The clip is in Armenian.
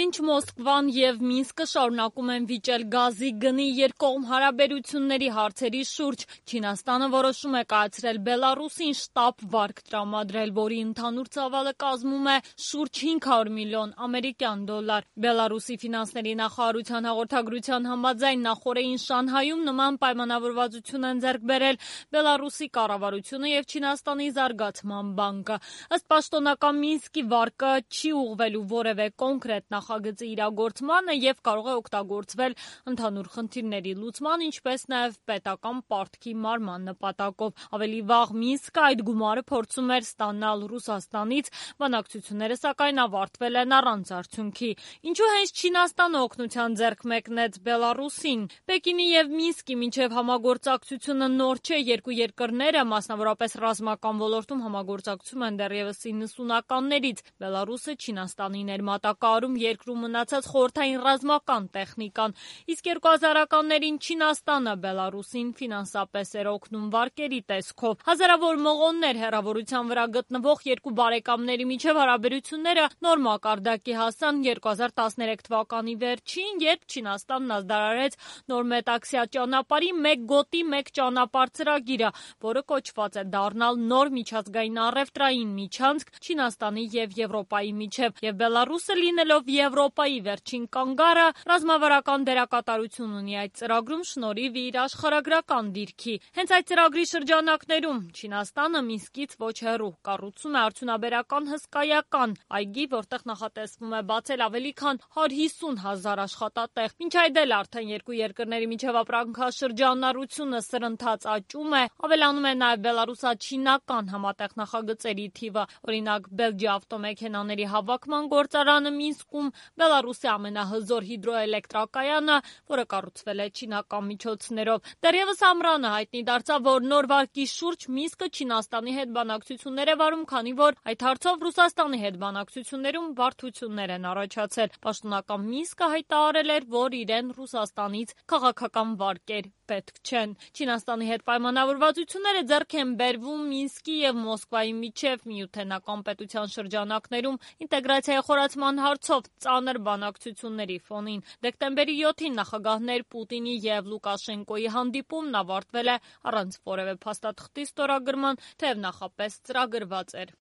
Ինչ Մոսկվան եւ Մինսկը շարունակում են վիճել գազի գնի երկկողմ հարաբերությունների հարցերի շուրջ, Չինաստանը որոշում է կայացրել Բելարուսին շտապ վարկ տրամադրել, որի ընդհանուր ծավալը կազմում է շուրջ 500 միլիոն ամերիկյան դոլար։ Բելարուսի ֆինանսների նախարարության հաղորդագրության համաձայն նախորդին Շանհայում նման պայմանավորվածություն են ձեռք բերել Բելարուսի կառավարությունը եւ Չինաստանի զարգացման բանկը։ Ըստ պաշտոնական Մինսկի վարկը չի ուղղվելու որևէ կոնկրետ նախագծի իրագործմանը եւ կարող է օգտագործվել ընդհանուր խնդիրների լուծման, ինչպես նաեւ պետական պարտքի մարման նպատակով։ Ավելի վաղ Մինսկը այդ գումարը փորձում էր ստանալ Ռուսաստանից, բանակցությունները սակայն ավարտվել են առանց արդյունքի։ Ինչու հենց Չինաստանը օգնության ձեռք մեկնեց Բելարուսին։ Պեկինի եւ Մինսկի միջև համագործակցությունը նոր չէ, երկու երկրները, մասնավորապես ռազմական ոլորտում համագործակցում են դեռևս 90-ականներից։ Բելարուսը Չինաստանի ներմատակարարում երկրում մնացած խորհրդային ռազմական տեխնիկան, իսկ 2000-ականներին Չինաստանը Բելարուսին ֆինանսապես էր օգնում վարկերի տեսքով։ Հազարավոր մղոններ հեռավորության վրա գտնվող երկու բարեկամների միջև հարաբերությունները նոր մակարդակի հասան 2013 թվականի վերջին, երբ Չինաստանն ազդարարեց նոր մետաքսյա ճանապարհի մեկ գոտի մեկ ճանապարհ ծրագիրը, որը կոչված է դառնալ նոր միջազգային առևտրային միջանցք Չինաստանի եւ Եվրոպայի միջև, եւ Բելարուսը լինելով Եվրոպայի վերջին կանգառը, ռազմավարական դերակատարություն ունի այդ ծրագրում շնորհիվ իր աշխարհագրական դիրքի։ Հենց այդ ծրագրի շրջանակներում Չինաստանը Մինսկից ոչ հեռու կառուցում է արդյունաբերական հսկայական այգի, որտեղ նախատեսվում է բացել ավելի քան 150,000 աշխատատեղ։ Մինչ այդ էլ արդեն երկու երկրների միջև ապրանքաշրջանառությունը սրընթաց աճում է, ավելանում է նաև բելարուսա-չինական համատեղ նախագծերի թիվը։ Օրինակ, Բելգիա ավտոմեքենաների հավաքման գործարանը Մինսկում, Բելարուսի ամենահզոր հիդրոէլեկտրակայանը, որը կառուցվել է չինական միջոցներով։ Դեռևս ամռանը հայտնի դարձավ, որ նոր վարկի շուրջ Մինսկը Չինաստանի հետ բանակցություններ է վարում, քանի որ այդ հարցով Ռուսաստանի հետ բանակցություններում բարդություններ են առաջացել։ Պաշտոնական Մինսկը հայտարարել էր, որ իրեն Ռուսաստանից քաղաքական վարկեր պետք չեն։ Չինաստանի հետ պայմանավորվածությունները ձեռք են բերվում Մինսկի եւ Մոսկվայի միջև միութենական պետության շրջանակներում ինտեգրացիայի խորացման հարցով ծանր բանակցությունների ֆոնին։ Դեկտեմբերի 7-ին նախագահներ Պուտինի եւ Լուկաշենկոյի հանդիպումն ավարտվել է առանց որևէ փաստաթղթի ստորագրման, թեև նախապես ծրագրված էր։